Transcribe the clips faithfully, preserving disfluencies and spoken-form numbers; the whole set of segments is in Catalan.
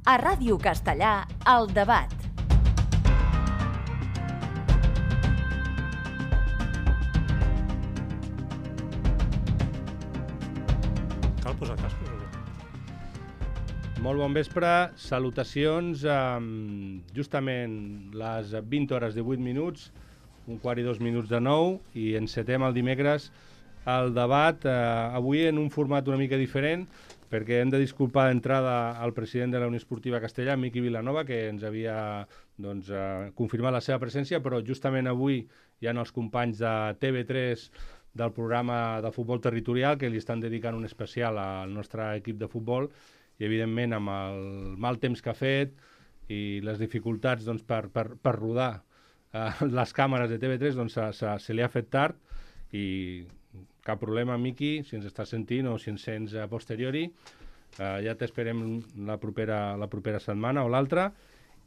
A Ràdio Castellà, El Debat. Cal posar cascos o què? Molt bon vespre, salutacions. Um, justament les vint hores divuit minuts, un quart i dos minuts de nou, i encetem el dimecres el debat, uh, avui en un format una mica diferent, perquè hem de disculpar d'entrada al president de la Unió Esportiva Castellà, Miqui Vilanova, que ens havia doncs, uh, confirmat la seva presència, però justament avui hi ha els companys de T V tres del programa de futbol territorial que li estan dedicant un especial al nostre equip de futbol, i evidentment amb el mal temps que ha fet i les dificultats doncs, per, per, per rodar eh, les càmeres de T V tres, doncs, se, se, se li ha fet tard, i cap problema, Miqui, si ens estàs sentint o si ens sents a posteriori, eh, ja t'esperem la propera, la propera setmana o l'altra.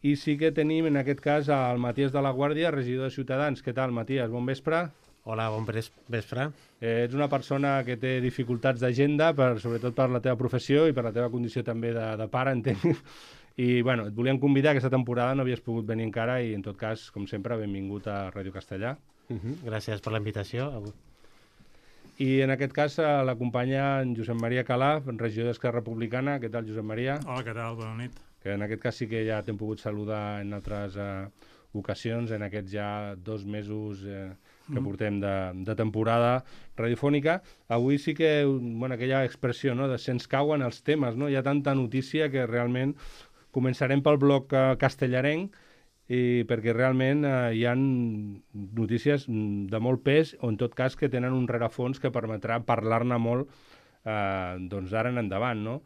I sí que tenim en aquest cas el Matías de la Guàrdia, regidor de Ciutadans. Què tal, Matías? Bon vespre. Hola, bon vespre. Eh, ets una persona que té dificultats d'agenda, per, sobretot per la teva professió i per la teva condició també de, de pare, entenc. I bueno, et volíem convidar, aquesta temporada no havies pogut venir encara, i en tot cas, com sempre, benvingut a Ràdio Castellà. Uh-huh. Gràcies per la invitació. I en aquest cas l'acompanya en Josep Maria Calaf, regidor d'Esquerra Republicana. Què tal, Josep Maria? Hola, què tal? Bona nit. Que en aquest cas sí que ja t'hem pogut saludar en altres eh, ocasions, en aquests ja dos mesos eh, que mm. portem de, de temporada radiofònica. Avui sí que, bueno, aquella expressió, no?, de se'ns cauen els temes, no? Hi ha tanta notícia que realment començarem pel bloc eh, castellarenc, i perquè realment eh, hi ha notícies de molt pes, o en tot cas que tenen un rerefons que permetrà parlar-ne molt eh, doncs d'ara en endavant, no?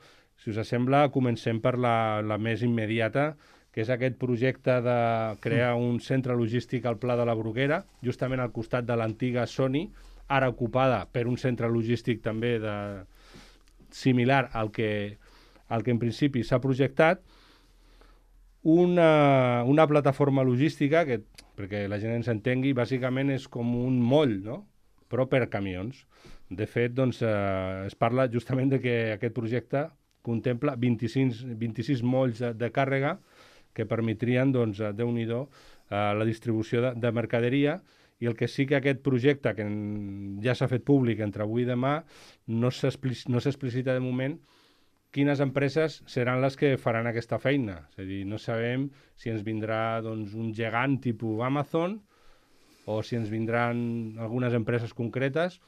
Si us sembla, comencem per la, la més immediata, que és aquest projecte de crear un centre logístic al Pla de la Bruguera, justament al costat de l'antiga Sony, ara ocupada per un centre logístic també de... similar al que, al que en principi s'ha projectat. Una, una plataforma logística que, perquè la gent ens entengui, bàsicament és com un moll, no?, però per camions. De fet, doncs, eh, es parla justament de que aquest projecte contempla vint-i-sis, vint-i-sis molls de, de càrrega que permetrien, doncs, Déu-n'hi-do, eh, la distribució de, de mercaderia, i el que sí que aquest projecte, que en, ja s'ha fet públic entre avui i demà, no s'explicita de moment quines empreses seran les que faran aquesta feina. És a dir, no sabem si ens vindrà doncs, un gegant tipus Amazon o si ens vindran algunes empreses concretes.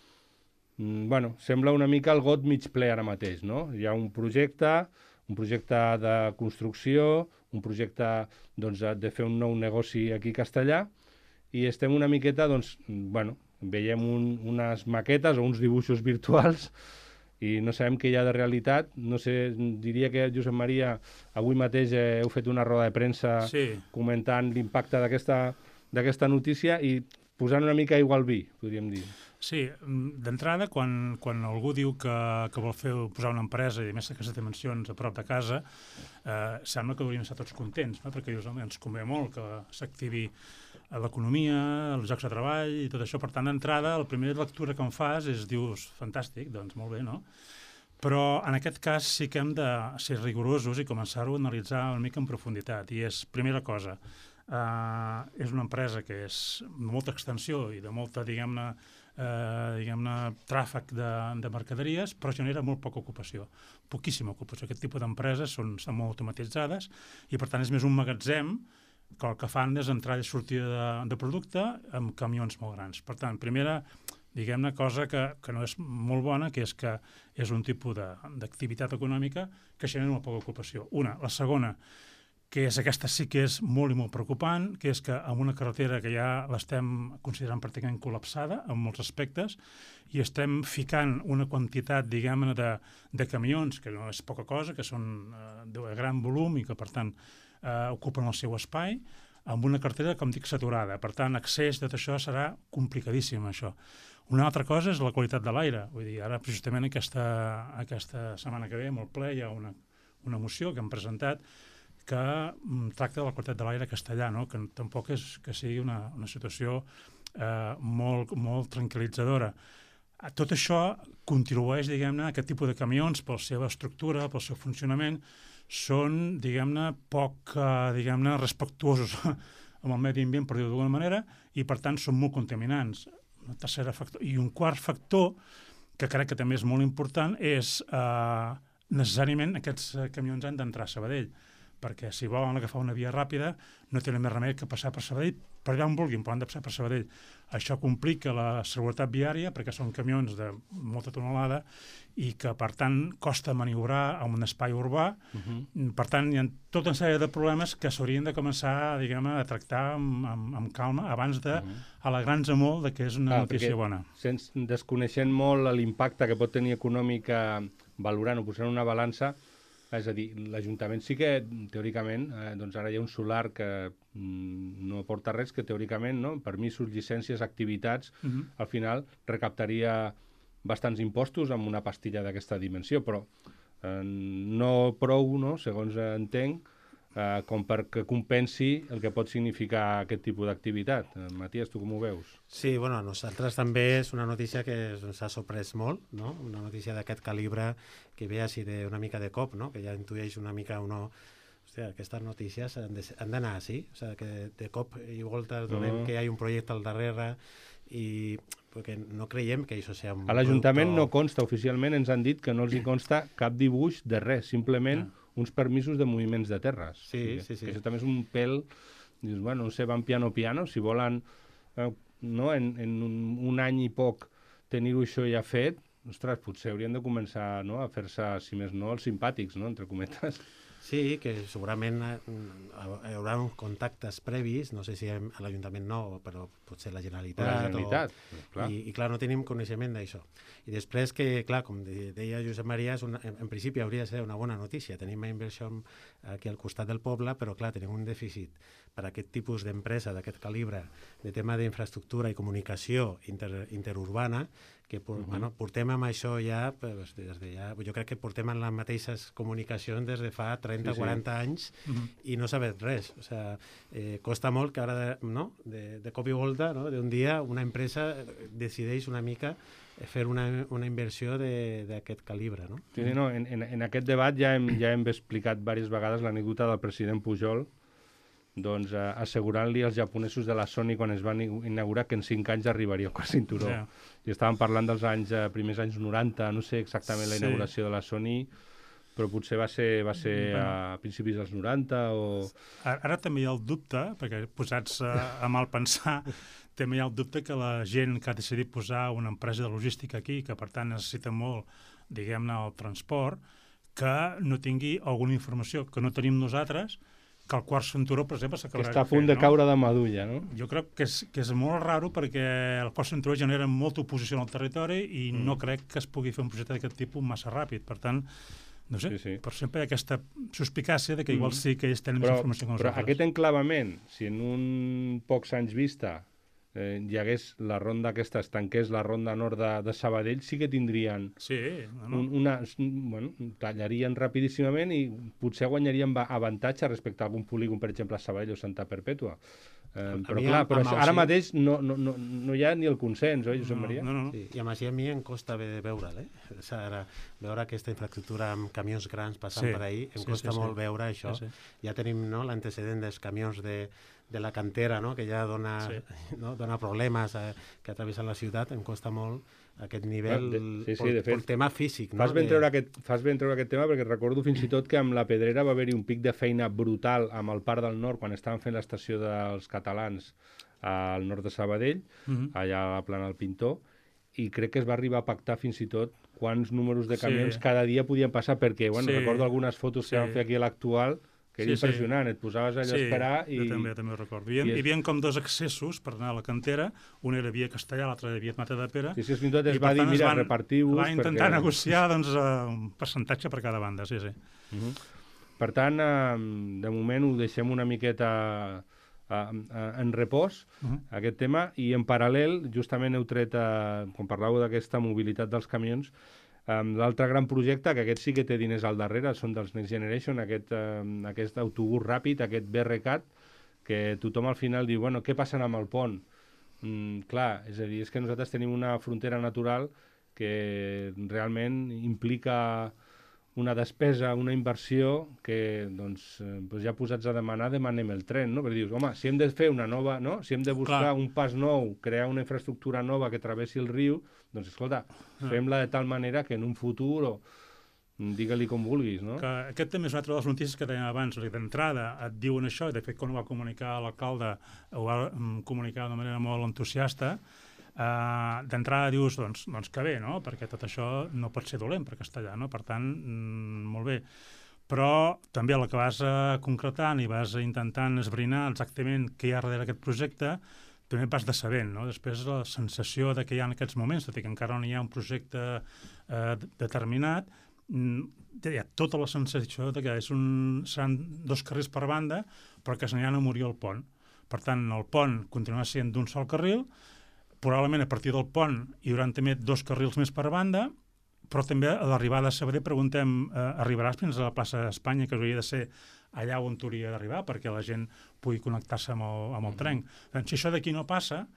Mm, bueno, sembla una mica el got mig ple ara mateix, no? Hi ha un projecte, un projecte de construcció, un projecte doncs, de fer un nou negoci aquí a Castellà, i estem una miqueta, doncs, bueno, veiem un, unes maquetes o uns dibuixos virtuals i no sabem què hi ha de realitat. No sé, diria que, Josep Maria, avui mateix eh, heu fet una roda de premsa sí. comentant l'impacte d'aquesta d'aquesta notícia i posant una mica aigua al vi, podríem dir. Sí, d'entrada, quan, quan algú diu que, que vol fer posar una empresa, i a més aquestes dimensions a prop de casa, eh, sembla que hauríem estar tots contents, no? Perquè dius, home, ens convé molt que s'activi l'economia, els llocs de treball i tot això. Per tant, d'entrada, la primera lectura que em fas és, dius, fantàstic, doncs molt bé, no? Però en aquest cas sí que hem de ser rigorosos i començar-ho a analitzar una mica en profunditat. I és, primera cosa, eh, és una empresa que és de molta extensió i de molta, diguem-ne, eh, diguem-ne, tràfic de, de mercaderies, però genera molt poca ocupació, poquíssima ocupació. Aquest tipus d'empreses són, són molt automatitzades i, per tant, és més un magatzem que el que fan és entrada i sortida de, de producte amb camions molt grans. Per tant, primera, diguem-ne, cosa que, que no és molt bona, que és que és un tipus d'activitat econòmica que genera molt poca ocupació. Una. La segona, que és aquesta sí que és molt i molt preocupant, que és que amb una carretera que ja l'estem considerant pràcticament col·lapsada en molts aspectes, i estem ficant una quantitat, diguem-ne, de, de camions, que no és poca cosa, que són eh, de gran volum i que, per tant, eh, ocupen el seu espai, amb una cartera, com dic, saturada. Per tant, accés de tot això serà complicadíssim, això. Una altra cosa és la qualitat de l'aire. Vull dir, ara, justament, aquesta, aquesta setmana que ve, molt ple, hi ha una, una moció que hem presentat que mm, tracta de la qualitat de l'aire castellà, no? Que tampoc és que sigui una, una situació eh, molt, molt tranquil·litzadora. Tot això contribueix, diguem-ne, a aquest tipus de camions, per la seva estructura, pel seu funcionament, són, diguem-ne, poc, eh, diguem-ne, respectuosos amb el medi ambient, per dir-ho d'alguna manera, i per tant són molt contaminants. Una tercera factor. I un quart factor, que crec que també és molt important, és eh, necessàriament aquests camions han d'entrar a Sabadell, perquè si volen agafar una via ràpida no tenen més remei que passar per Sabadell, per allà on vulguin, però han de passar per Sabadell. Això complica la seguretat viària perquè són camions de molta tonelada i que, per tant, costa maniobrar en un espai urbà. Uh-huh. Per tant, hi ha tota una sèrie de problemes que s'haurien de començar, diguem, a tractar amb, amb, amb calma abans de uh-huh. alegrar-nos molt de que és una ah, notícia bona. Sense, desconeixent molt l'impacte que pot tenir econòmic valorant o posant una balança, és a dir, l'Ajuntament sí que, teòricament, eh, doncs ara hi ha un solar que mm, no aporta res, que teòricament, no? Permisos, llicències, activitats, uh-huh. al final recaptaria bastants impostos amb una pastilla d'aquesta dimensió, però eh, no prou, no? Segons entenc, eh, com perquè compensi el que pot significar aquest tipus d'activitat. Eh, Matías, tu com ho veus? Sí, bueno, a nosaltres també és una notícia que ens ha sorprès molt, no? Una notícia d'aquest calibre que ve així d'una mica de cop, no? Que ja intueix una mica o no... Hòstia, aquestes notícies han d'anar així, o sigui, que de cop i volta donem uh-huh. que hi ha un projecte al darrere i perquè no creiem que això sigui un a l'Ajuntament producte... no consta, oficialment ens han dit que no els hi consta cap dibuix de res, simplement uh-huh. uns permisos de moviments de terres. Sí, sí, sí. Que això també és un pèl, dius, bueno, no sé, van piano piano, si volen eh, no, en, en un, un any i poc tenir-ho això ja fet, ostres, potser haurien de començar, no, a fer-se, si més no, els simpàtics, no, entre cometes. Sí, que segurament hi haurà uns contactes previs, no sé si a l'Ajuntament no, però potser la Generalitat. La Generalitat, o... clar. I, I clar, no tenim coneixement d'això. I després que, clar, com deia Josep Maria, és una, en, en principi hauria de ser una bona notícia. Tenim una inversió aquí al costat del poble, però clar, tenim un dèficit per a aquest tipus d'empresa, d'aquest calibre, de tema d'infraestructura i comunicació inter, interurbana, que por, uh-huh. bueno, portem amb això ja, pues, des de ja, jo crec que portem en les mateixes comunicacions des de fa trenta o sí, sí. quaranta anys uh-huh. i no sabem res. O sea, eh, costa molt que ara, de, no? de, de cop i volta, no? d'un dia, una empresa decideix una mica fer una, una inversió d'aquest calibre. No? Sí, sí, no, en, en, en aquest debat ja hem, ja hem explicat diverses vegades l'anècdota del president Pujol, doncs eh, assegurant-li als japonesos de la Sony quan es van inaugurar que en cinc anys arribaria al quart cinturó. Yeah. I estàvem parlant dels anys, eh, primers anys noranta, no sé exactament la sí. inauguració de la Sony, però potser va ser, va ser bueno. a principis dels noranta o... Ara, ara també hi ha el dubte, perquè posats a, a mal pensar, també hi ha el dubte que la gent que ha decidit posar una empresa de logística aquí, que per tant necessita molt, diguem-ne, el transport, que no tingui alguna informació que no tenim nosaltres, que el quart cinturó, per exemple, s'acabarà que està a punt de, fer, de caure no? de madulla, no? Jo crec que és, que és molt raro perquè el quart cinturó genera molta oposició al territori i mm. no crec que es pugui fer un projecte d'aquest tipus massa ràpid. Per tant, no sé, sí, sí. però sempre hi ha aquesta suspicàcia de que igual sí que ells tenen però, més informació que nosaltres. Però aquest enclavament, si en un pocs anys vista eh, hi hagués la ronda aquesta, es tanqués la ronda nord de, de Sabadell, sí que tindrien sí, no, no. Un, una... Bueno, tallarien rapidíssimament i potser guanyarien avantatge respecte a algun polígon, per exemple, a Sabadell o Santa Perpètua. Eh, però clar, però això, ara mateix no, no, no, no hi ha ni el consens, oi, Josep Maria? No, no, no. Sí, i a més a mi em costa bé de veure'l, eh? O sigui, ara, veure aquesta infraestructura amb camions grans passant sí. per ahir, em sí, costa sí, molt sí. veure això. Sí, sí. Ja tenim no, l'antecedent dels camions de, de la cantera, no? Que ja dona, sí. no? dona problemes eh, que travessen la ciutat, em costa molt aquest nivell de, sí, sí, per, de fet, per tema físic. No? Fas ben, de... treure aquest, fas ben treure aquest tema perquè recordo fins i tot que amb la Pedrera va haver-hi un pic de feina brutal amb el Parc del Nord quan estaven fent l'estació dels catalans al nord de Sabadell, uh-huh. allà a la plana del Pintor, i crec que es va arribar a pactar fins i tot quants números de camions sí. cada dia podien passar, perquè bueno, sí. recordo algunes fotos sí. que van fer aquí a l'Actual, que era sí, impressionant, sí. et posaves allà sí, a esperar i... Sí, també, també ho recordo. Hi havia, hi havia com dos accessos per anar a la cantera, un era via Castellà, l'altre era via Matadepera. Sí, sí, fins i tot es va dir, mira, repartiu-vos... Va intentar perquè... negociar doncs, un percentatge per cada banda, sí, sí. Uh-huh. Per tant, eh, de moment ho deixem una miqueta eh, en repòs, uh-huh. aquest tema, i en paral·lel, justament heu tret, eh, quan parlàveu d'aquesta mobilitat dels camions, Um, l'altre gran projecte, que aquest sí que té diners al darrere, són dels Next Generation, aquest, um, aquest autobús ràpid, aquest B R C A T, que tothom al final diu, bueno, què passa amb el pont? Mm, clar, és a dir, és que nosaltres tenim una frontera natural que realment implica una despesa, una inversió que doncs, eh, doncs ja posats a demanar, demanem el tren, no? Perquè dius, home, si hem de fer una nova, no? Si hem de buscar Clar. un pas nou, crear una infraestructura nova que travessi el riu, doncs escolta, fem-la de tal manera que en un futur, o digue-li com vulguis, no? Que aquest també és una altra de les notícies que dèiem abans. D'entrada et diuen això, i de fet quan ho va comunicar l'alcalde ho va mm, comunicar d'una manera molt entusiasta. Uh, d'entrada dius, doncs, doncs que bé, no? Perquè tot això no pot ser dolent per castellà, no? Per tant, mm, molt bé. Però també el que vas uh, concretant i vas intentant esbrinar exactament què hi ha darrere aquest projecte, també vas decebent, no? Després la sensació de que hi ha en aquests moments, tot i que encara no hi ha un projecte uh, determinat, mm, hi ha tota la sensació de que és un, seran dos carrils per banda, però que se n'hi ha a morir el pont. Per tant, el pont continuarà sent d'un sol carril, probablement a partir del pont hi haurà també dos carrils més per banda, però també a l'arribada a Sabadell preguntem, eh, arribaràs fins a la plaça d'Espanya, que hauria de ser allà on hauria d'arribar perquè la gent pugui connectar-se amb el, amb el tren. Doncs, si això d'aquí no passa,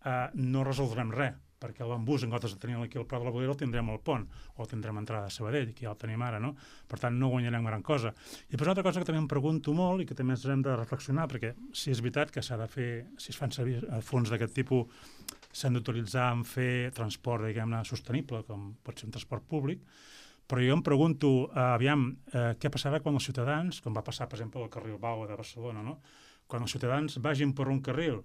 eh, no resoldrem res, perquè el bambús, en comptes de tenir aquí al Prat de la Boguera, el tindrem al pont, o tindrem entrada a Sabadell, que ja el tenim ara, no? Per tant, no guanyarem gran cosa. I després una altra cosa que també em pregunto molt i que també ens hem de reflexionar, perquè si és veritat que s'ha de fer, si es fan servir fons d'aquest tipus, s'han d'utilitzar en fer transport, diguem-ne, sostenible, com pot ser un transport públic, però jo em pregunto, eh, aviam, eh, què passarà quan els ciutadans, com va passar, per exemple, al carril Bau de Barcelona, no? Quan els ciutadans vagin per un carril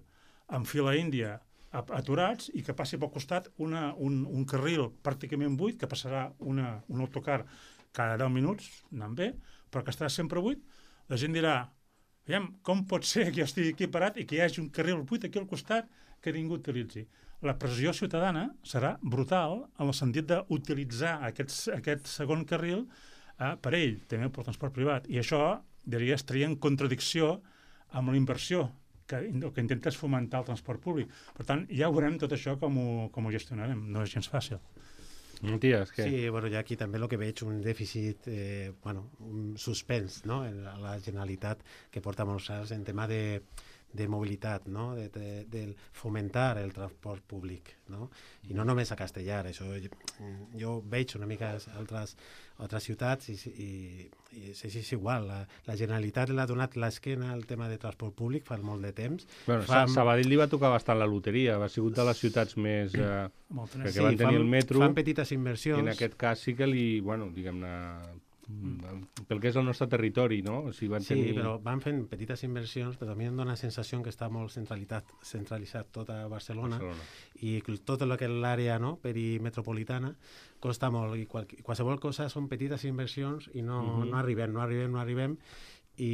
en fila índia, aturats, i que passi pel costat una, un, un carril pràcticament buit, que passarà una, un autocar cada deu minuts, anant bé, però que estarà sempre buit, la gent dirà, veiem, com pot ser que jo estigui aquí parat i que hi hagi un carril buit aquí al costat que ningú utilitzi? La pressió ciutadana serà brutal en el sentit d'utilitzar aquest, aquest segon carril eh, per ell, també pel transport privat, i això, diria, estaria en contradicció amb la inversió que el que intenta és fomentar el transport públic. Per tant, ja veurem tot això com ho, com ho gestionarem. No és gens fàcil. Matías, què? Sí, bueno, jo aquí també el que veig un dèficit, eh, bueno, un suspens, no?, en la, la Generalitat, que porta molts anys en tema de, de mobilitat, no?, de, de, de fomentar el transport públic, no?, i no només a Castellar, això jo, jo veig una mica altres, altres ciutats i, i, i és, és igual, la, la Generalitat l'ha donat l'esquena al tema de transport públic fa molt de temps. Bueno, fa... Sabadell li va tocar bastant la loteria, va sigut de les ciutats més... Eh, perquè sí, van tenir fan, el metro, fan petites inversions. i en aquest cas sí que li, bueno, diguem-ne, mm. pel que és el nostre territori, no? O sigui, van sí, tenir... però van fent petites inversions, però també em dona la sensació que està molt centralitat, centralitzat tota Barcelona, Barcelona. I tot el que és l'àrea, no?, perimetropolitana costa molt, i qual, qualsevol cosa són petites inversions i no, uh-huh. no arribem, no arribem, no arribem, i,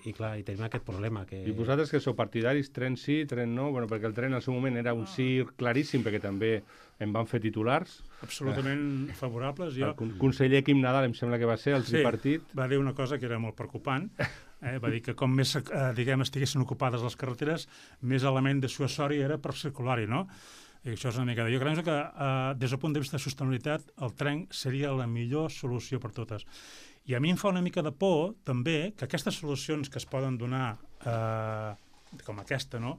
i clar, i tenim aquest problema. Que... I vosaltres que sou partidaris, tren sí, tren no, bueno, perquè el tren al seu moment era un sí claríssim, perquè també en van fer titulars. Absolutament eh. favorables. Jo... El conseller Quim Nadal, em sembla que va ser, el tripartit. Sí, va dir una cosa que era molt preocupant. Eh? Va dir que com més eh, diguem, estiguessin ocupades les carreteres, més element de suasori era per circular-hi, no? I això és una mica de... Jo crec que eh, des del punt de vista de sostenibilitat el tren seria la millor solució per totes. I a mi em fa una mica de por també que aquestes solucions que es poden donar eh, com aquesta, no?,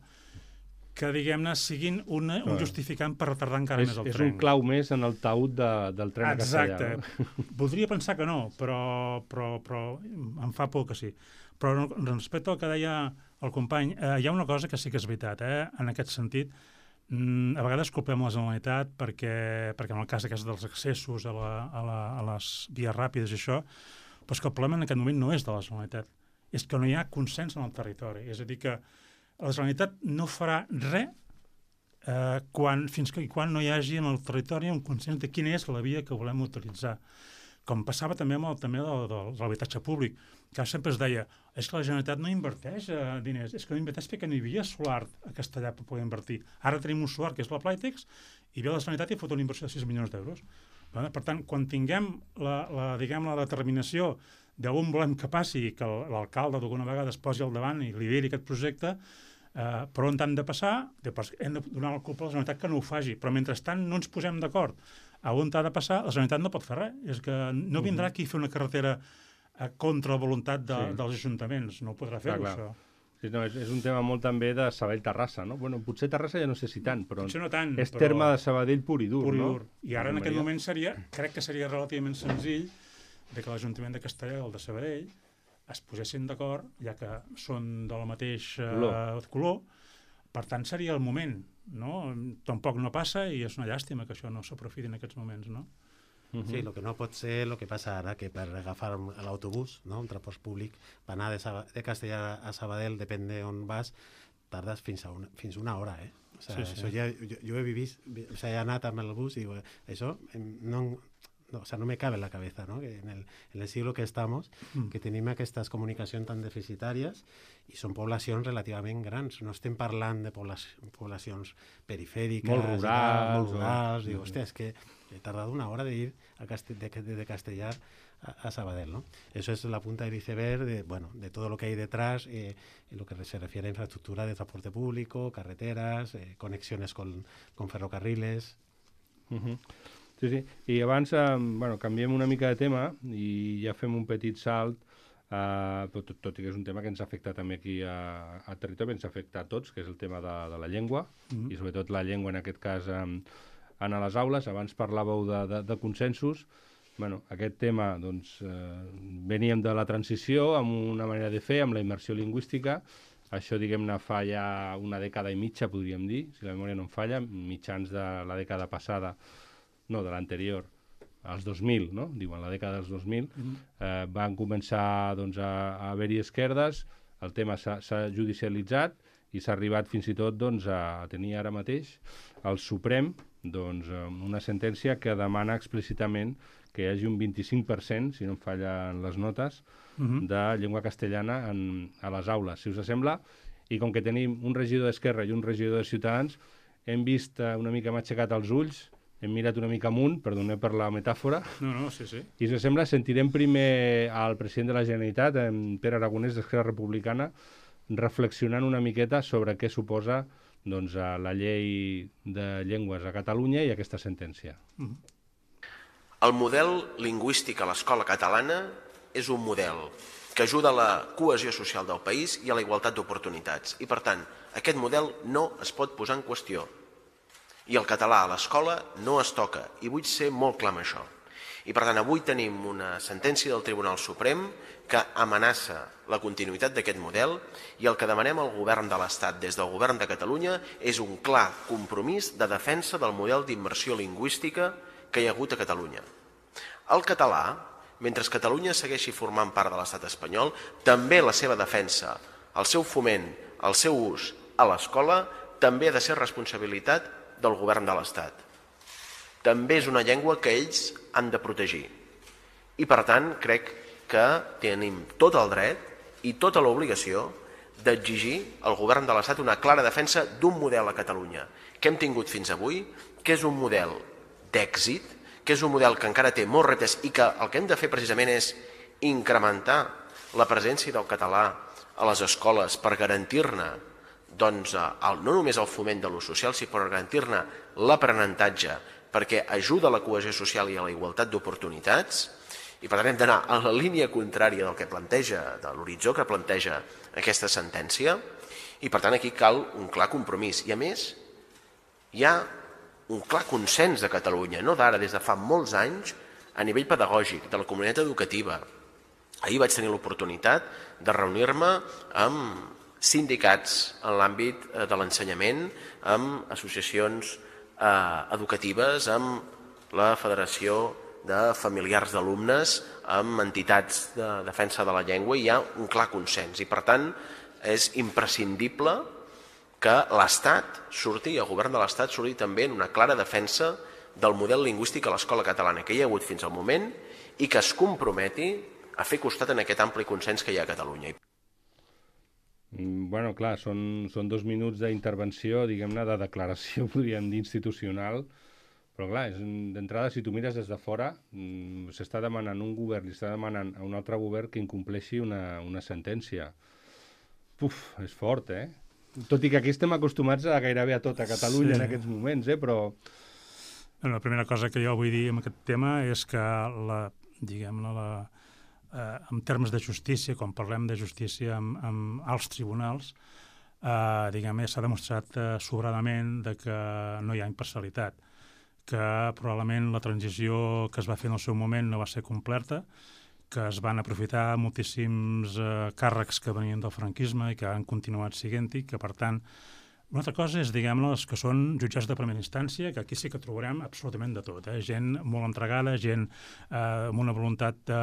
que, diguem-ne, siguin una, un justificant per retardar encara és, més el és tren. És un clau més en el taüt de, del tren a Castellà. Exacte. No? Voldria pensar que no, però, però, però em fa por que sí. Però respecte al que deia el company, eh, hi ha una cosa que sí que és veritat, eh, en aquest sentit. Mm, a vegades culpem la Generalitat perquè, perquè en el cas aquest dels accessos a, la, a, la, a les vies ràpides i això, però és que el problema en aquest moment no és de la Generalitat, és que no hi ha consens en el territori. És a dir, que la Generalitat no farà res eh, quan, fins que quan no hi hagi en el territori un consens de quina és la via que volem utilitzar. Com passava també amb el tema de, de, de l'habitatge públic, que sempre es deia és que la Generalitat no inverteix eh, diners, és que no inverteix perquè no hi havia solar a Castellà per poder invertir. Ara tenim un solar que és la Plytex i ve la Generalitat i fot una inversió de sis milions d'euros. Per tant, quan tinguem la, la, diguem, la determinació d'on volem que passi, que l'alcalde d'alguna vegada es posi al davant i lideri aquest projecte, eh, per on han de passar, hem de donar la culpa a la Generalitat que no ho faci. Però mentrestant no ens posem d'acord a on ha de passar, la Generalitat no pot fer res. És que no vindrà aquí a fer una carretera contra la voluntat de, sí. dels ajuntaments. No ho podrà fer, ah, això. Sí, no, és, és un tema molt també de Sabadell-Terrassa, no? Bueno, potser Terrassa ja no sé si tant, però no tant, és però... terme de Sabadell pur i dur, pur i no? dur. I ara en aquest moment seria, crec que seria relativament senzill de que l'Ajuntament de Castellà i el de Sabadell es posessin d'acord, ja que són del mateix eh, color. color. Per tant, seria el moment, no? Tampoc no passa i és una llàstima que això no s'aprofiti en aquests moments, no? Sí, el que no pot ser el que passa ara, que per agafar l'autobús, no? Un transport públic, per anar de, Sab de Castellà a Sabadell, depèn d'on vas, tardes fins a una, fins una hora, eh? O sea, sí, sí. Això ja, jo, jo he vivit, o sea, he anat amb el bus i digo, això no... No, o sea, no me cabe en la cabeza, ¿no? Que en el, en el siglo que estamos, mm. que tenim aquestes comunicacions tan deficitàries i són poblacions relativament grans. No estem parlant de poblacions, poblacions perifèriques, molt rurals, molt rurals. O... Digo, hòstia, és que he tardat una hora d'ir a Castell, de, de, de Castellar a, a Sabadell, ¿no? Eso es la punta del iceberg de, bueno, de todo lo que hay detrás, eh, en lo que se refiere a infraestructura de transporte público, carreteras, eh, conexiones con, con ferrocarriles... Uh-huh. Sí, sí. I abans, eh, bueno, canviem una mica de tema i ja fem un petit salt, eh, tot, tot i que és un tema que ens afecta també aquí a, a territori, ens afecta a tots, que és el tema de, de la llengua, mm-hmm. i sobretot la llengua, en aquest cas, eh, en les aules. Abans parlàveu de, de, de consensos. Bueno, aquest tema, doncs, eh, veníem de la transició amb una manera de fer, amb la immersió lingüística. Això, diguem-ne, fa ja una dècada i mitja, podríem dir, si la memòria no em falla, mitjans de la dècada passada, no, de l'anterior, als dos mil, no? Diuen la dècada dels dos mil, mm-hmm. eh, van començar doncs, a, a haver-hi esquerdes, el tema s'ha judicialitzat i s'ha arribat fins i tot doncs, a tenir ara mateix el Suprem doncs, una sentència que demana explícitament que hi hagi un vint-i-cinc per cent, si no em fallen les notes, mm-hmm. de llengua castellana en, a les aules, si us sembla. I com que tenim un regidor d'Esquerra i un regidor de Ciutadans, hem vist eh, una mica, m'ha aixecat els ulls, hem mirat una mica amunt, perdoneu per la metàfora. No, no, sí, sí. I, si us sembla, sentirem primer al president de la Generalitat, en Pere Aragonès, d'Esquerra Republicana, reflexionant una miqueta sobre què suposa doncs, la llei de llengües a Catalunya i aquesta sentència. Mm-hmm. El model lingüístic a l'escola catalana és un model que ajuda a la cohesió social del país i a la igualtat d'oportunitats. I, per tant, aquest model no es pot posar en qüestió. I el català a l'escola no es toca, i vull ser molt clar amb això. I per tant, avui tenim una sentència del Tribunal Suprem que amenaça la continuïtat d'aquest model i el que demanem al govern de l'Estat des del govern de Catalunya és un clar compromís de defensa del model d'immersió lingüística que hi ha hagut a Catalunya. El català, mentre Catalunya segueixi formant part de l'estat espanyol, també la seva defensa, el seu foment, el seu ús a l'escola, també ha de ser responsabilitat del govern de l'Estat. També és una llengua que ells han de protegir. I, per tant, crec que tenim tot el dret i tota l'obligació d'exigir al govern de l'Estat una clara defensa d'un model a Catalunya que hem tingut fins avui, que és un model d'èxit, que és un model que encara té molts reptes i que el que hem de fer precisament és incrementar la presència del català a les escoles per garantir-ne doncs, el, no només el foment de l'ús social, sinó per garantir-ne l'aprenentatge, perquè ajuda a la cohesió social i a la igualtat d'oportunitats, i per tant hem d'anar a la línia contrària del que planteja, de l'horitzó que planteja aquesta sentència, i per tant aquí cal un clar compromís. I a més, hi ha un clar consens de Catalunya, no d'ara, des de fa molts anys, a nivell pedagògic, de la comunitat educativa. Ahir vaig tenir l'oportunitat de reunir-me amb sindicats en l'àmbit de l'ensenyament, amb associacions eh, educatives, amb la Federació de Familiars d'Alumnes, amb entitats de defensa de la llengua, i hi ha un clar consens. I per tant és imprescindible que l'Estat surti, el govern de l'Estat surti també en una clara defensa del model lingüístic a l'escola catalana que hi ha hagut fins al moment i que es comprometi a fer costat en aquest ampli consens que hi ha a Catalunya. Bueno, clar, són, són dos minuts d'intervenció, diguem-ne, de declaració, podríem dir, institucional, però clar, d'entrada, si tu mires des de fora, s'està demanant un govern, li està demanant a un altre govern que incompleixi una, una sentència. Puf, és fort, eh? Tot i que aquí estem acostumats a gairebé a tot a Catalunya sí. en aquests moments, eh? Però... La primera cosa que jo vull dir en aquest tema és que, la, diguem-ne, la... Eh, en termes de justícia, quan parlem de justícia amb, amb alts tribunals, eh, diguem-ne, s'ha demostrat eh, sobradament de que no hi ha imparcialitat, que probablement la transició que es va fer en el seu moment no va ser completa, que es van aprofitar moltíssims eh, càrrecs que venien del franquisme i que han continuat siguent-hi, que per tant, una altra cosa és, diguem-ne, els que són jutjats de primera instància, que aquí sí que trobarem absolutament de tot, eh? Gent molt entregada, gent eh, amb una voluntat de,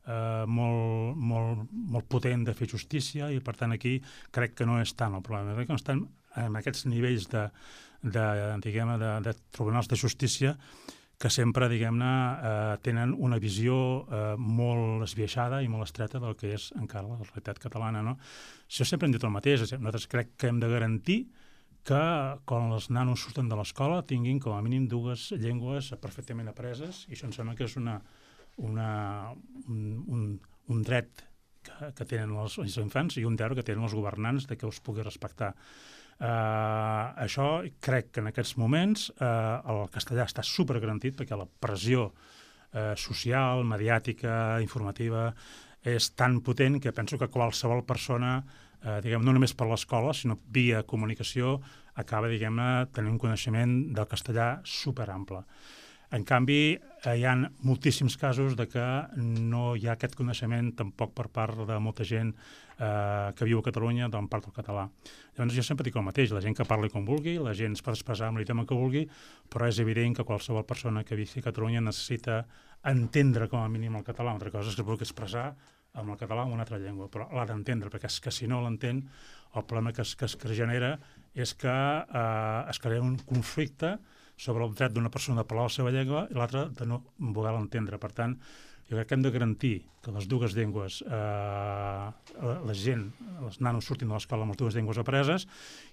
eh, molt, molt, molt potent de fer justícia, i per tant aquí crec que no és tant el problema, crec que no estan en aquests nivells de, de, diguem-ne, de, de tribunals de justícia que sempre, diguem-ne, eh, tenen una visió eh, molt esbiaixada i molt estreta del que és encara la realitat catalana, no? Això sempre hem dit el mateix, nosaltres crec que hem de garantir que quan els nanos surten de l'escola tinguin com a mínim dues llengües perfectament apreses, i això em sembla que és una, una, un, un, un dret que, que tenen els, els infants i un deure que tenen els governants de que els pugui respectar. Uh, això crec que en aquests moments uh, el castellà està supergarantit perquè la pressió uh, social, mediàtica, informativa és tan potent que penso que qualsevol persona, uh, diguem, no només per l'escola, sinó via comunicació, acaba, diguem-ne, tenint un coneixement del castellà superample. En canvi, eh, hi ha moltíssims casos de que no hi ha aquest coneixement tampoc per part de molta gent eh, que viu a Catalunya d'on part del català. Llavors jo sempre dic el mateix, la gent que parli com vulgui, la gent es pot expressar amb l'idioma que vulgui, però és evident que qualsevol persona que visqui a Catalunya necessita entendre com a mínim el català. Una altra cosa és que es vulgui expressar amb el català o en una altra llengua, però l'ha d'entendre, perquè és que si no l'entén, el problema que es, que es genera és que eh, es crea un conflicte sobre el dret d'una persona de parlar la seva llengua i l'altra de no voler l'entendre. Per tant, jo crec que hem de garantir que les dues llengües, eh, la gent, els nanos surtin de l'escola amb les dues llengües apreses,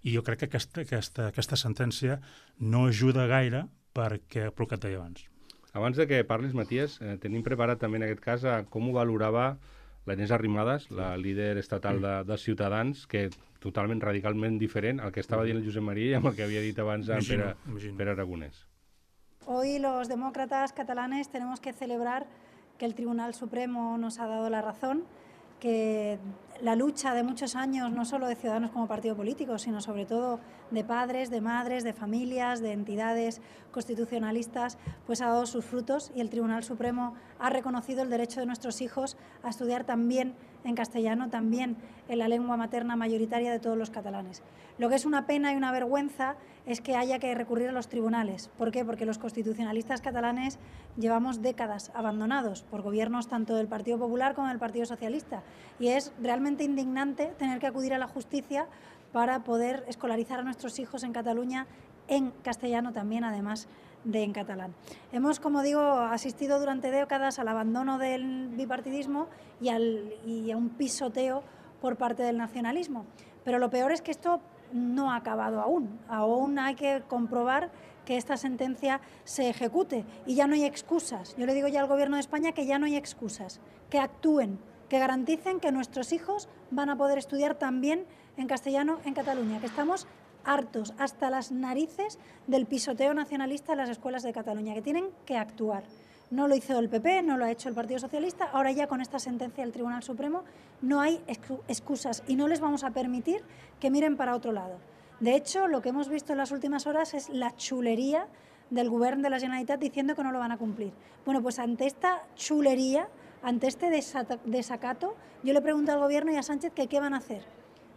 i jo crec que aquesta, aquesta, aquesta sentència no ajuda gaire perquè, pel que et deia abans. Abans de que parlis, Matías, eh, tenim preparat també en aquest cas a com ho valorava la Inés Arrimadas, la líder estatal de, de Ciutadans, que totalment, radicalment diferent al que estava dient el Josep María i amb el que havia dit abans en Pere, Pere Aragonès. Hoy los demócratas catalanes tenemos que celebrar que el Tribunal Supremo nos ha dado la razón, que la lucha de muchos años, no solo de Ciudadanos como partido político, sino sobre todo de padres, de madres, de familias, de entidades constitucionalistas, pues ha dado sus frutos y el Tribunal Supremo ha reconocido el derecho de nuestros hijos a estudiar también en castellano, también en la lengua materna mayoritaria de todos los catalanes. Lo que es una pena y una vergüenza es que haya que recurrir a los tribunales. ¿Por qué? Porque los constitucionalistas catalanes llevamos décadas abandonados por gobiernos tanto del Partido Popular como del Partido Socialista, y es realmente indignante tener que acudir a la justicia para poder escolarizar a nuestros hijos en Cataluña en castellano también, además de en catalán. Hemos, como digo, asistido durante décadas al abandono del bipartidismo y, al, y a un pisoteo por parte del nacionalismo. Pero lo peor es que esto no ha acabado aún. Aún hay que comprobar que esta sentencia se ejecute y ya no hay excusas. Yo le digo ya al Gobierno de España que ya no hay excusas, que actúen, que garanticen que nuestros hijos van a poder estudiar también en castellano en Cataluña, que estamos hartos hasta las narices del pisoteo nacionalista en las escuelas de Cataluña, que tienen que actuar. No lo hizo el P P, no lo ha hecho el Partido Socialista, ahora ya con esta sentencia del Tribunal Supremo no hay excusas y no les vamos a permitir que miren para otro lado. De hecho, lo que hemos visto en las últimas horas es la chulería del Govern de la Generalitat diciendo que no lo van a cumplir. Bueno, pues ante esta chulería, ante este desacato, yo le pregunto al Gobierno y a Sánchez que qué van a hacer.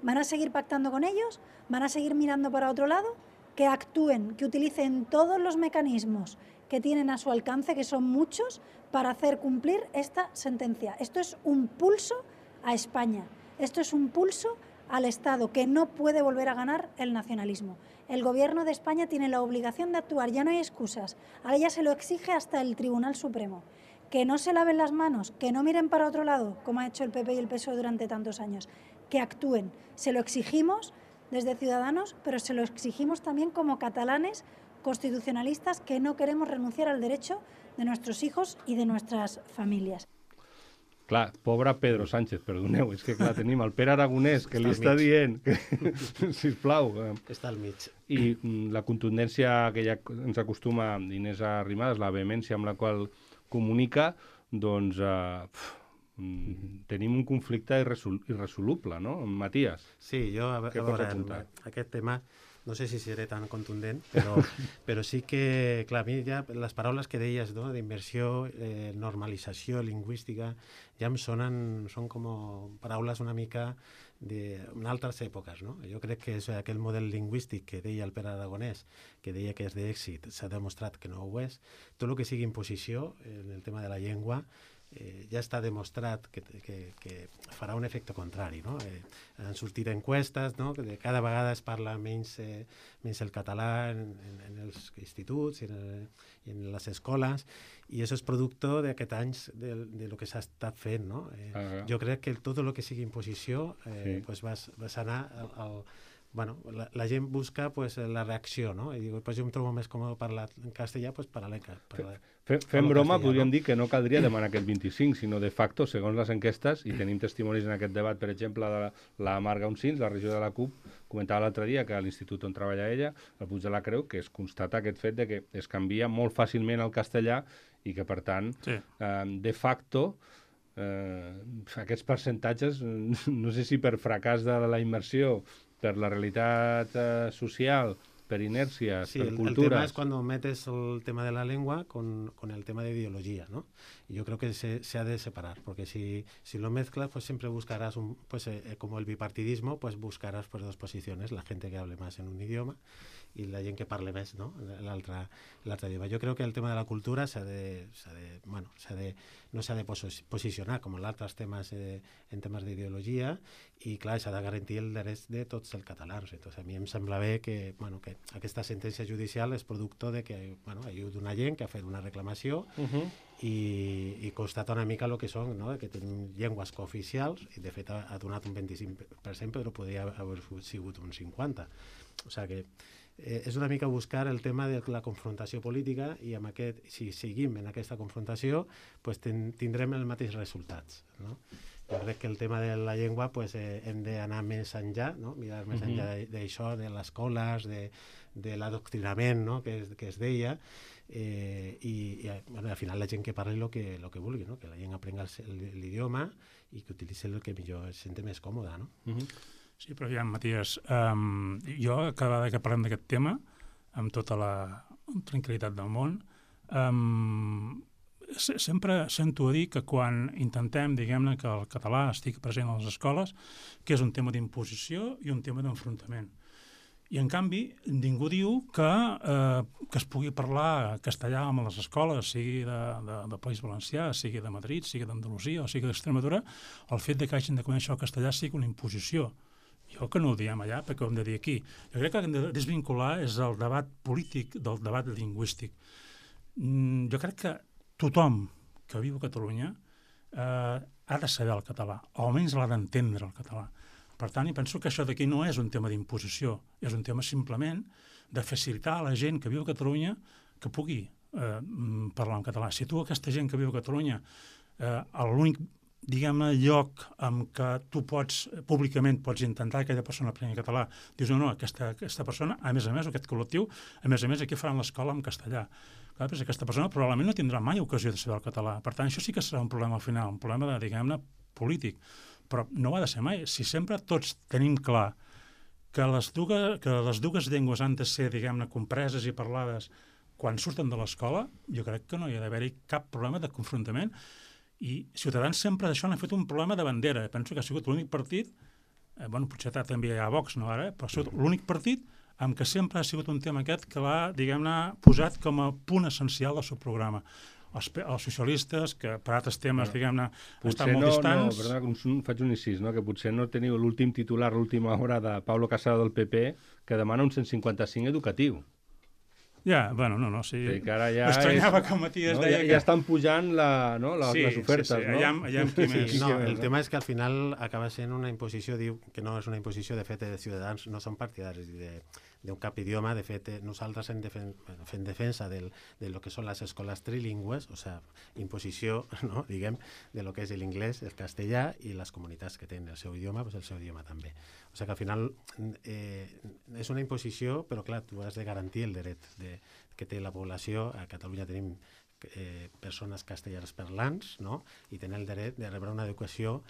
¿Van a seguir pactando con ellos? ¿Van a seguir mirando para otro lado? Que actúen, que utilicen todos los mecanismos que tienen a su alcance, que son muchos, para hacer cumplir esta sentencia. Esto es un pulso a España, esto es un pulso al Estado, que no puede volver a ganar el nacionalismo. El Gobierno de España tiene la obligación de actuar, ya no hay excusas, ahora ya se lo exige hasta el Tribunal Supremo. Que no se laven las manos, que no miren para otro lado, como ha hecho el P P y el P S O E durante tantos años, que actúen. Se lo exigimos desde Ciudadanos, pero se lo exigimos también como catalanes constitucionalistas que no queremos renunciar al derecho de nuestros hijos y de nuestras famílies. Clar, pobre Pedro Sánchez, perdoneu, és que clar, tenim el Pere Aragonès que li està dient, que, sisplau. Està al mig. I la contundència que ja ens acostuma Inés Arrimadas, la vehemència amb la qual comunica, doncs eh, pf, mm, tenim un conflicte irresol irresoluble, no? Matías. Sí, jo a, a veure, aquest tema no sé si seré tan contundent, però, però sí que, clar, a mi ja les paraules que deies, no?, d'immersió, eh, normalització lingüística, ja em sonen, són com paraules una mica d'altres èpoques, no? Jo crec que és aquell model lingüístic que deia el Pere Aragonès, que deia que és d'èxit, s'ha demostrat que no ho és. Tot el que sigui imposició en el tema de la llengua Eh, ja està demostrat que, que, que farà un efecte contrari, no? Eh, han sortit encuestes, no?, que de cada vegada es parla menys, eh, menys el català en, en, en els instituts i en, en les escoles, i això és producte d'aquest anys de, de lo que s'ha estat fent, no? Eh, uh -huh. Jo crec que tot el que sigui imposició eh, sí. pues vas, vas anar al, al bueno, la, la gent busca pues, la reacció, no? I diu, pues, jo em trobo més còmode parlar en castellà, pues parlar en castellà. Fem, fem broma, podríem no? dir que no caldria demanar aquest vint-i-cinc, sinó de facto, segons les enquestes, i tenim testimonis en aquest debat, per exemple, de la, la Marga Uncins, la regió de la C U P, comentava l'altre dia que a l'institut on treballa ella, al Puig de la Creu, que es constata aquest fet de que es canvia molt fàcilment al castellà i que, per tant, sí. eh, de facto, eh, aquests percentatges, no sé si per fracàs de la immersió, per la realitat eh, social, per inèrcia, sí, per el, cultures. El tema es cuando metes el tema de la lengua con, con el tema de ideología, ¿no? Y yo creo que se, se ha de separar, porque si, si lo mezclas, pues siempre buscarás, un, pues eh, como el bipartidismo, pues buscarás pues, dos posiciones, la gente que hable más en un idioma i la gent que parle més, no?, l'altre idioma. Jo crec que el tema de la cultura s'ha de, s'ha de, bueno, s'ha de, no s'ha de posicionar com en altres temes, eh, en temes d'ideologia, i clar, s'ha de garantir el dret de tots els catalans. Entonces, a mi em sembla bé que, bueno, que aquesta sentència judicial és producte de que, bueno, hi ha una gent que ha fet una reclamació uh -huh. i, i constata una mica el que són, no?, que tenim llengües cooficials, i de fet ha, ha donat un vint-i-cinc per cent, però podria haver sigut un cinquanta per cent. O sigui que Eh, és una mica buscar el tema de la confrontació política, i amb aquest, si seguim en aquesta confrontació, pues ten, tindrem els mateixos resultats, no? Jo crec que el tema de la llengua pues, eh, hem d'anar més enllà, no?, mirar més uh -huh. enllà d'això, de les escoles, de, de l'adoctrinament, no?, que, es, que es deia, eh, i, i bueno, al final la gent que parli el que, lo que vulgui, no?, que la gent aprenga l'idioma i que utilitzi el que millor es senti més còmode, no? Uh -huh. Sí, però ja, Matías, um, jo cada vegada que parlem d'aquest tema, amb tota la tranquil·litat del món, um, se sempre sento a dir que quan intentem, diguem-ne, que el català estigui present a les escoles, que és un tema d'imposició i un tema d'enfrontament. I, en canvi, ningú diu que, eh, que es pugui parlar castellà a les escoles, sigui de, de, del País Valencià, sigui de Madrid, sigui d'Andalusia o sigui d'Extremadura, el fet de que hagin de conèixer el castellà sigui una imposició. Jo que no ho diem allà, perquè ho hem de dir aquí. Jo crec que hem de desvincular és el debat polític del debat lingüístic. Mm, jo crec que tothom que viu a Catalunya eh, ha de saber el català, o almenys l'ha d'entendre el català. Per tant, jo penso que això d'aquí no és un tema d'imposició, és un tema simplement de facilitar a la gent que viu a Catalunya que pugui eh, parlar en català. Si tu, aquesta gent que viu a Catalunya, eh, l'únic diguem-ne, lloc en què tu pots, públicament, pots intentar que aquella persona aprengui català, dius, no, no, aquesta, aquesta persona, a més a més, aquest col·lectiu, a més a més, aquí faran l'escola en castellà. Clar, doncs aquesta persona probablement no tindrà mai ocasió de saber el català. Per tant, això sí que serà un problema al final, un problema, de, diguem-ne, polític. Però no ho ha de ser mai. Si sempre tots tenim clar que les dues, que les dues llengües han de ser, diguem-ne, compreses i parlades quan surten de l'escola, jo crec que no hi ha d'haver-hi cap problema de confrontament. I Ciutadans sempre d'això n'ha fet un problema de bandera. Penso que ha sigut l'únic partit, eh, bueno, potser també hi ha Vox, no ara, però ha sigut l'únic partit amb què sempre ha sigut un tema aquest que l'ha, diguem-ne, posat com a punt essencial del seu programa. Els, els socialistes, que per altres temes, no. diguem-ne, estan molt no, distants... No, perdona, faig un incís, no? Que potser no teniu l'últim titular, l'última hora de Pablo Casado del P P, que demana un cent cinquanta-cinc educatiu. Ja, bueno, no, no, sí. sí ja m'estranyava és, que Matías no, deia ja, que... Ja estan pujant la, no, la, sí, les ofertes, sí, sí. no? Allà, allà amb qui més... Sí, no, el tema és que al final acaba sent una imposició, diu que no és una imposició, de fet, de Ciutadans no són partidaris d'un cap idioma, de fet, nosaltres en defen bueno, fem defensa del, de lo que són les escoles trilingües, o sigui, imposició, no, diguem, de lo que és l'inglès, el castellà, i les comunitats que tenen el seu idioma, doncs el seu idioma també. O sigui que al final eh, és una imposició, però clar, tu has de garantir el dret de, que té la població. A Catalunya tenim eh, persones castellans parlants, no? I tenen el dret de rebre una educació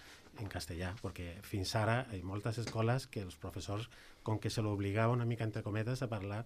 en castellà, perquè fins ara hi ha moltes escoles que els professors, com que se l'obligava una mica entre cometes a parlar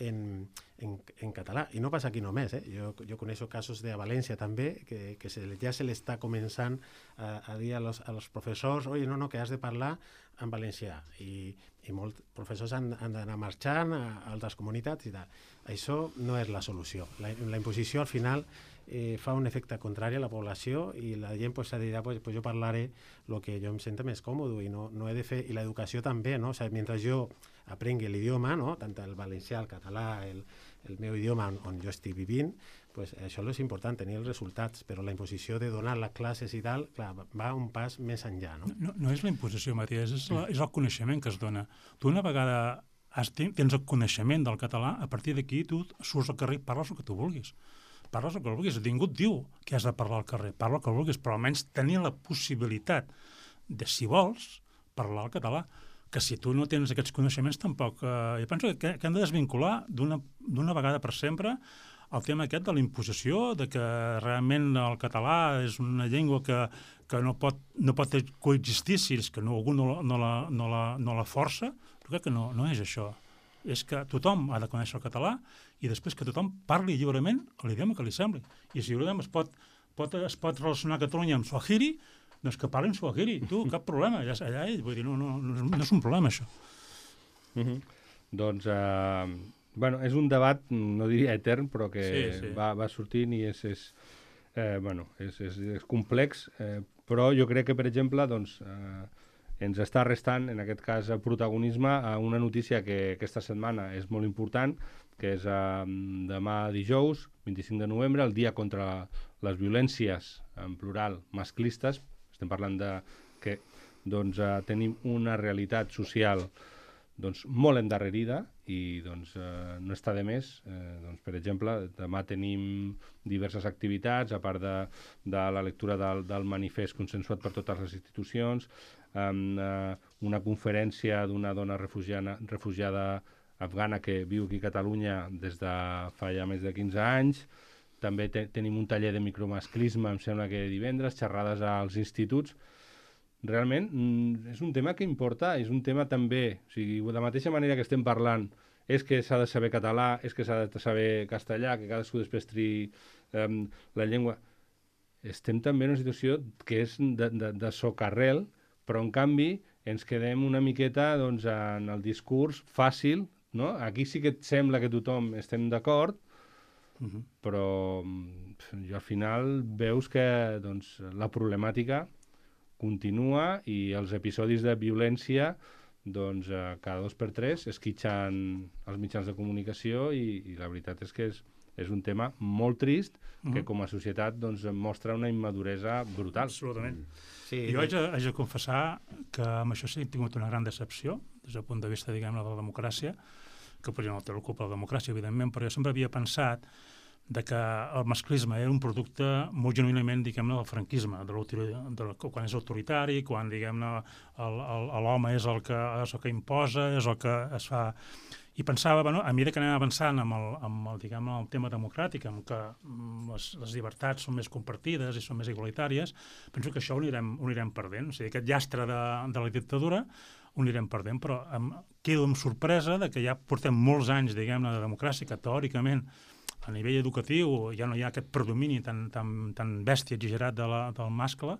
en, en, en català. I no passa aquí només, eh? Jo, jo coneixo casos de a València també, que, que se, ja se l'està començant a, a dir a los, a los professors, oi, no, no, que has de parlar en valencià. I, i molts professors han, han d'anar marxant a, a altres comunitats i tal. Això no és la solució. La, la imposició al final eh, fa un efecte contrari a la població i la gent pues, se dirà, pues, pues jo parlaré el que jo em sento més còmode i no, no he de fer, i l'educació també, no? O sigui, mentre jo aprengui l'idioma, no? Tant el valencià, el català, el, el meu idioma on, on jo estic vivint, pues això és important, tenir els resultats, però la imposició de donar les classes i tal, clar, va un pas més enllà, no? No, no és la imposició, Matías, és, la, és el coneixement que es dona. Tu una vegada has, tens el coneixement del català, a partir d'aquí tu surts al carrer i parles el que tu vulguis. Parles el que vulguis. Ningú et diu que has de parlar al carrer. Parla el que vulguis, però almenys tenir la possibilitat de, si vols, parlar el català. Que si tu no tens aquests coneixements tampoc... Eh, jo penso que, que hem de desvincular d'una vegada per sempre el tema aquest de la imposició, de que realment el català és una llengua que, que no, pot, no pot coexistir si és que no, algú no, no, la, no, la, no la força. Jo crec que no, no és això. És que tothom ha de conèixer el català i després que tothom parli lliurement l'idioma que li sembli. I si l'idioma es pot, pot, es pot relacionar Catalunya amb Swahili, doncs que parlin Swahili, tu, cap problema, allà, allà ell, vull dir, no, no, no és un problema, això. Mm-hmm. Doncs, eh, bueno, és un debat, no diria etern, però que sí, sí. Va, va sortint i és, és, eh, bueno, és, és, és complex, eh, però jo crec que, per exemple, doncs, eh, ens està restant, en aquest cas, protagonisme a una notícia que aquesta setmana és molt important, que és eh, demà dijous, vint-i-cinc de novembre, el dia contra les violències, en plural, masclistes. Estem parlant de que doncs, eh, tenim una realitat social doncs, molt endarrerida i doncs, eh, no està de més. Eh, doncs, per exemple, demà tenim diverses activitats, a part de, de la lectura del, del manifest consensuat per totes les institucions, amb eh, una conferència d'una dona refugiana, refugiada afgana que viu aquí a Catalunya des de fa ja més de quinze anys. També te tenim un taller de micromasclisme, em sembla que divendres, xerrades als instituts. Realment mm, és un tema que importa, és un tema també, o sigui, de la mateixa manera que estem parlant, és que s'ha de saber català, és que s'ha de saber castellà, que cadascú després triï eh, la llengua. Estem també en una situació que és de, de, de socarrel, però en canvi ens quedem una miqueta doncs, en el discurs fàcil, no? Aquí sí que et sembla que tothom estem d'acord, uh-huh. però jo al final veus que doncs, la problemàtica continua i els episodis de violència doncs, eh, cada dos per tres esquitxen els mitjans de comunicació i, i la veritat és que és, és un tema molt trist uh-huh. que com a societat doncs, mostra una immaduresa brutal. Absolutament. Sí, jo haig de, haig de confessar que amb això sí he tingut una gran decepció des del punt de vista, diguem-ne, de la democràcia, que potser no té la culpa de la democràcia, evidentment, però jo sempre havia pensat de que el masclisme era un producte molt genuïnament, diguem-ne, del franquisme, de de quan és autoritari, quan, diguem-ne, l'home és, el que, és el que imposa, és el que es fa... I pensava, bueno, a mesura que anem avançant amb el, amb el, diguem, el tema democràtic, amb que les, les llibertats són més compartides i són més igualitàries, penso que això ho anirem, ho anirem perdent. O sigui, aquest llastre de, de la dictadura ho anirem perdent, però em, quedo amb sorpresa de que ja portem molts anys, diguem-ne, de democràcia, que teòricament a nivell educatiu ja no hi ha aquest predomini tan, tan, tan bèstia exagerat de la, del mascle,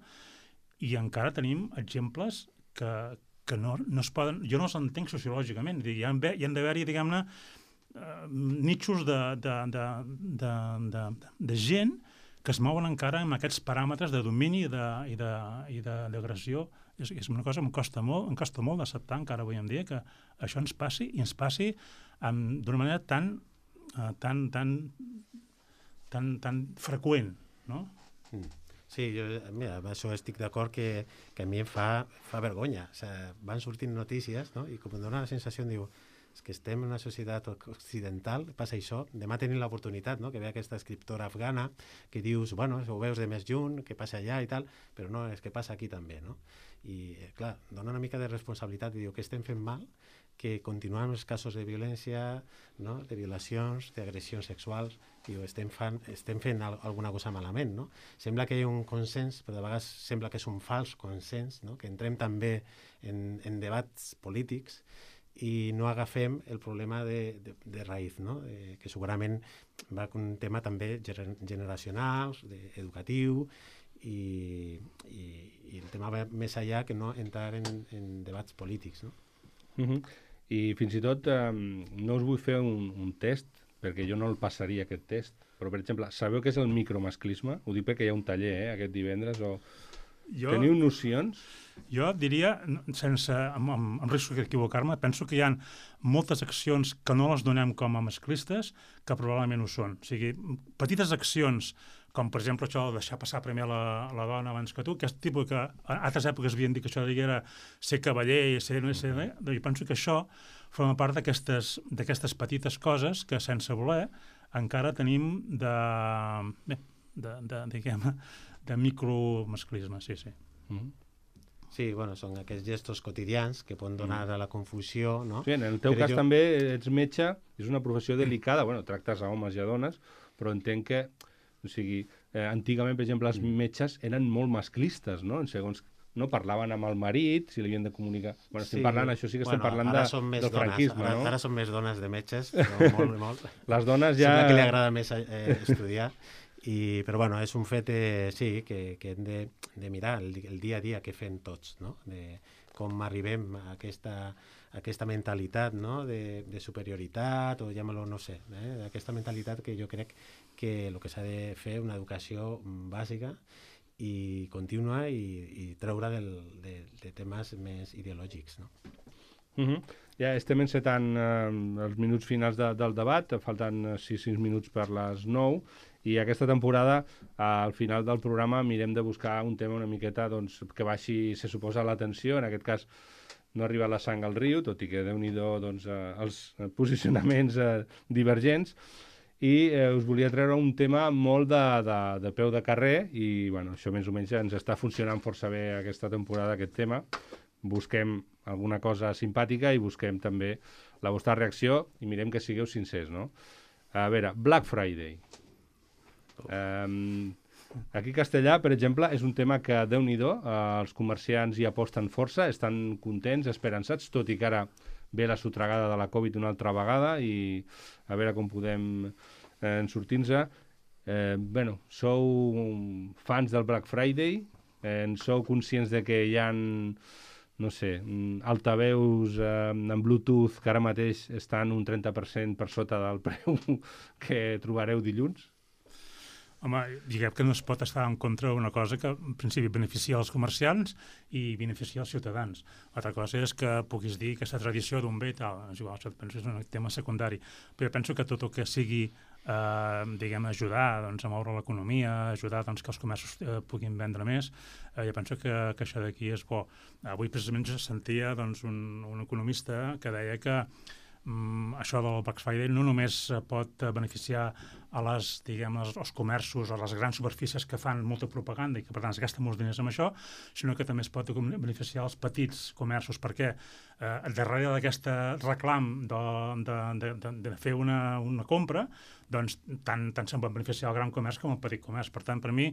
i encara tenim exemples que, que no, no es poden... Jo no els entenc sociològicament. Hi ha, hi ha d'haver-hi, diguem-ne, uh, nitxos de, de, de, de, de, de gent que es mouen encara amb aquests paràmetres de domini i d'agressió. És, és una cosa que em costa molt, em costa molt d'acceptar encara avui en dia que això ens passi i ens passi d'una manera tan, uh, tan, tan, tan, tan freqüent, no? Mm. Sí, jo, mira, amb això estic d'acord que, que a mi em fa, fa vergonya. O sigui, van sortint notícies, no? I com em dona la sensació, em diu, és que estem en una societat occidental, passa això, demà tenim l'oportunitat, no? Que ve aquesta escriptora afgana que dius, bueno, ho veus de més lluny, que passa allà i tal, però no, és que passa aquí també, no? I, clar, dona una mica de responsabilitat i diu que estem fent mal que continuen els casos de violència, no? De violacions, d'agressions sexuals, i ho estem, fan, estem fent al, alguna cosa malament, no? Sembla que hi ha un consens, però de vegades sembla que és un fals consens, no? Que entrem també en, en debats polítics i no agafem el problema de, de, de raïz, no? Eh, que segurament va amb un tema també generacional, de, educatiu, i, i, i el tema va més allà que no entrar en, en debats polítics, no? Uh-huh. I fins i tot eh, no us vull fer un, un test, perquè jo no el passaria aquest test, però per exemple, sabeu què és el micromasclisme? Ho dic perquè hi ha un taller eh, aquest divendres, o jo, teniu nocions? Jo diria, sense, amb, amb, amb risc d'equivocar-me, penso que hi ha moltes accions que no les donem com a masclistes que probablement ho són. O sigui, petites accions com per exemple això de deixar passar primer la, la dona abans que tu, aquest tipus que a altres èpoques havien dit que això era ser cavaller i ser no ser no, jo penso que això forma part d'aquestes petites coses que sense voler encara tenim de, bé, de, de, diguem, de micromasclisme, sí, sí. Mm-hmm. Sí, bueno, són aquests gestos quotidians que poden donar a la confusió, no? Sí, en el teu Però cas jo... també ets metge, és una professió delicada, bueno, tractes a homes i a dones, però entenc que o sigui, eh, antigament, per exemple, els metges eren molt masclistes, no? Segons no parlaven amb el marit, si li havien de comunicar... Bueno, estem sí, parlant, això sí que estem bueno, parlant de, del dones, franquisme, ara, no? Ara són més dones de metges, però molt, molt. Les dones ja... Sembla que li agrada més eh, estudiar, i, però bueno, és un fet, eh, sí, que, que hem de, de mirar el, el dia a dia que fem tots, no? De com arribem a aquesta, a aquesta mentalitat, no? De, de superioritat, o llámalo, no sé, eh? Aquesta mentalitat que jo crec que el que s'ha de fer una educació bàsica i contínua i, i treure del, de, de temes més ideològics, no? Uh-huh. Ja estem encetant eh, els minuts finals de, del debat, falten sis minuts per les nou, i aquesta temporada, eh, al final del programa, mirem de buscar un tema una miqueta doncs, que baixi, se suposa, l'atenció, en aquest cas no arriba la sang al riu, tot i que déu-n'hi-do doncs, eh, els posicionaments eh, divergents, i eh, us volia treure un tema molt de, de, de peu de carrer i bueno, això més o menys ens està funcionant força bé aquesta temporada, aquest tema. Busquem alguna cosa simpàtica i busquem també la vostra reacció i mirem que sigueu sincers, no? A veure, Black Friday. Um, aquí a Castellà, per exemple, és un tema que, Déu-n'hi-do, eh, els comerciants hi aposten força, estan contents, esperançats, tot i que ara ve la sotragada de la Covid una altra vegada i a veure com podem eh, sortir-nos. Eh, bueno, sou fans del Black Friday, eh, sou conscients de que hi ha, no sé, altaveus eh, en Bluetooth que ara mateix estan un trenta per cent per sota del preu que trobareu dilluns? Home, diguem que no es pot estar en contra d'una cosa que, en principi, beneficia els comerciants i beneficia els ciutadans. Altra cosa és que puguis dir que aquesta tradició d'un bé i tal, és igual, això penso que és un tema secundari. Però penso que tot el que sigui, eh, diguem, ajudar doncs, a moure l'economia, ajudar doncs, que els comerços eh, puguin vendre més, eh, jo penso que, que això d'aquí és bo. Avui, precisament, jo sentia doncs, un, un economista que deia que Mm, això del Black Friday no només pot beneficiar a les, diguem, els, els comerços, a les grans superfícies que fan molta propaganda i que per tant es gasten molts diners amb això, sinó que també es pot beneficiar els petits comerços, perquè eh, darrere d'aquest reclam de, de, de, de, de fer una, una compra, doncs tant, tant se'n pot beneficiar el gran comerç com el petit comerç. Per tant, per mi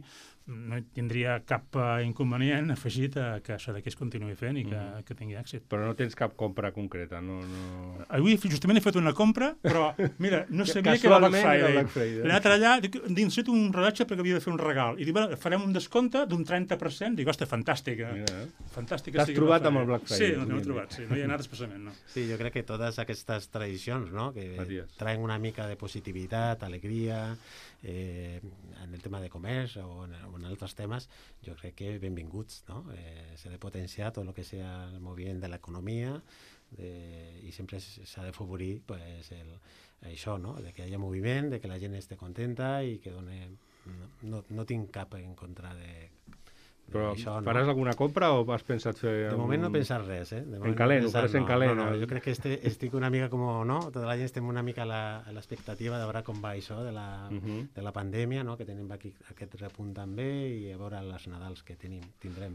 no tindria cap uh, inconvenient afegit a que això d'aquí es continuï fent i que, mm. que tingui èxit. Però no tens cap compra concreta, no? no... Avui justament he fet una compra, però mira, no sabia que era Black Friday. Black Friday. He anat allà, dic, necessito un rellotge perquè havia de fer un regal. I dic, bueno, farem un descompte d'un trenta per cent. Dic, ostres, fantàstica. Mira, fantàstica. T'has trobat amb el Black Friday? Sí, no, l'he trobat, sí. No hi ha anat especialment, no. Sí, jo crec que totes aquestes tradicions, no?, que Matías. Traen una mica de positivitat, alegria, eh, en el tema de comerç o en, o en altres temes, jo crec que benvinguts, no? Eh, s'ha de potenciar tot el que sea el moviment de l'economia de, i sempre s'ha de favorir pues, el, això, no? De que hi hagi moviment, de que la gent esté contenta i que done... No, no, no tinc cap en contra de... Però això, no? Faràs alguna compra o has pensat fer... De un... moment no he pensat res, eh? De en calent, no ho faràs en no, calent. No, no, jo crec que este, estic una mica com, no? Tota la gent estem una mica a l'expectativa de veure com va això de la, uh -huh. de la pandèmia, no? Que tenim aquí aquest repunt també i a veure les Nadals que tenim, tindrem.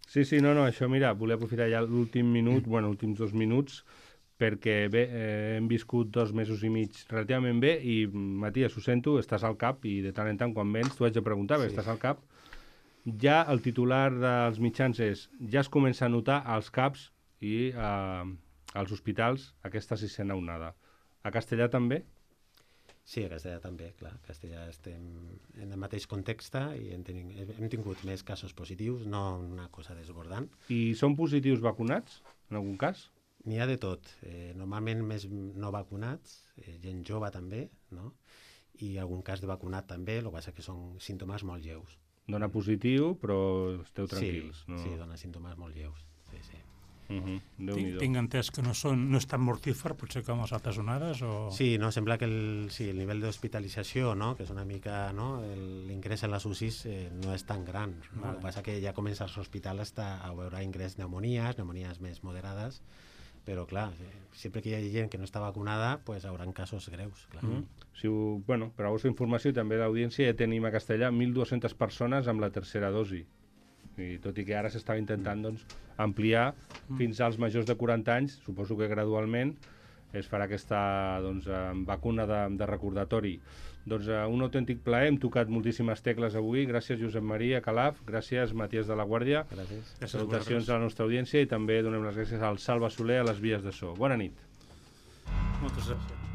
Sí, sí, no, no, això, mira, volia aprofitar ja l'últim minut, bueno, últims dos minuts, perquè bé, eh, hem viscut dos mesos i mig relativament bé i, Matías, ho sento, estàs al cap i de tant en tant quan vens t'ho haig de preguntar, sí. Estàs al cap. Ja el titular dels mitjans és ja es comença a notar als CAPs i eh, als hospitals aquesta sisena onada. A Castellà també? Sí, a Castellà també, clar. A Castellà estem en el mateix context i hem, ten... hem tingut més casos positius, no una cosa desbordant. I són positius vacunats, en algun cas? N'hi ha de tot. Eh, normalment més no vacunats, eh, gent jove també, no? I algun cas de vacunat també, el que passa que són símptomes molt lleus. Dona positiu, però esteu tranquils. Sí, no? sí, dona símptomes molt lleus. Sí, sí. Uh-huh. Tinc, tinc entès que no, són, no és tan mortífer, potser com les altres onades? O... Sí, no, sembla que el, sí, el nivell d'hospitalització, no? Que és una mica, no? L'ingrés en les U C Is eh, no és tan gran. No? Vale. El que passa que ja comença a l'hospital a veure ingrés pneumonies, pneumonies més moderades, però clar, sempre que hi ha gent que no està vacunada, pues hauran casos greus, clar. Mm-hmm. Si ho, bueno, per a la vostra informació i també l'audiència, ja tenim a Castellà mil dues-centes persones amb la tercera dosi. I tot i que ara s'estava intentant doncs, ampliar mm. fins als majors de quaranta anys, suposo que gradualment es farà aquesta doncs, vacuna de, de recordatori. Doncs uh, un autèntic plaer, hem tocat moltíssimes tecles avui. Gràcies, Josep Maria Calaf, gràcies, Matías de la Guàrdia. Gràcies. Salutacions a la nostra audiència i també donem les gràcies al Salva Soler a les vies de so. Bona nit. Moltes gràcies.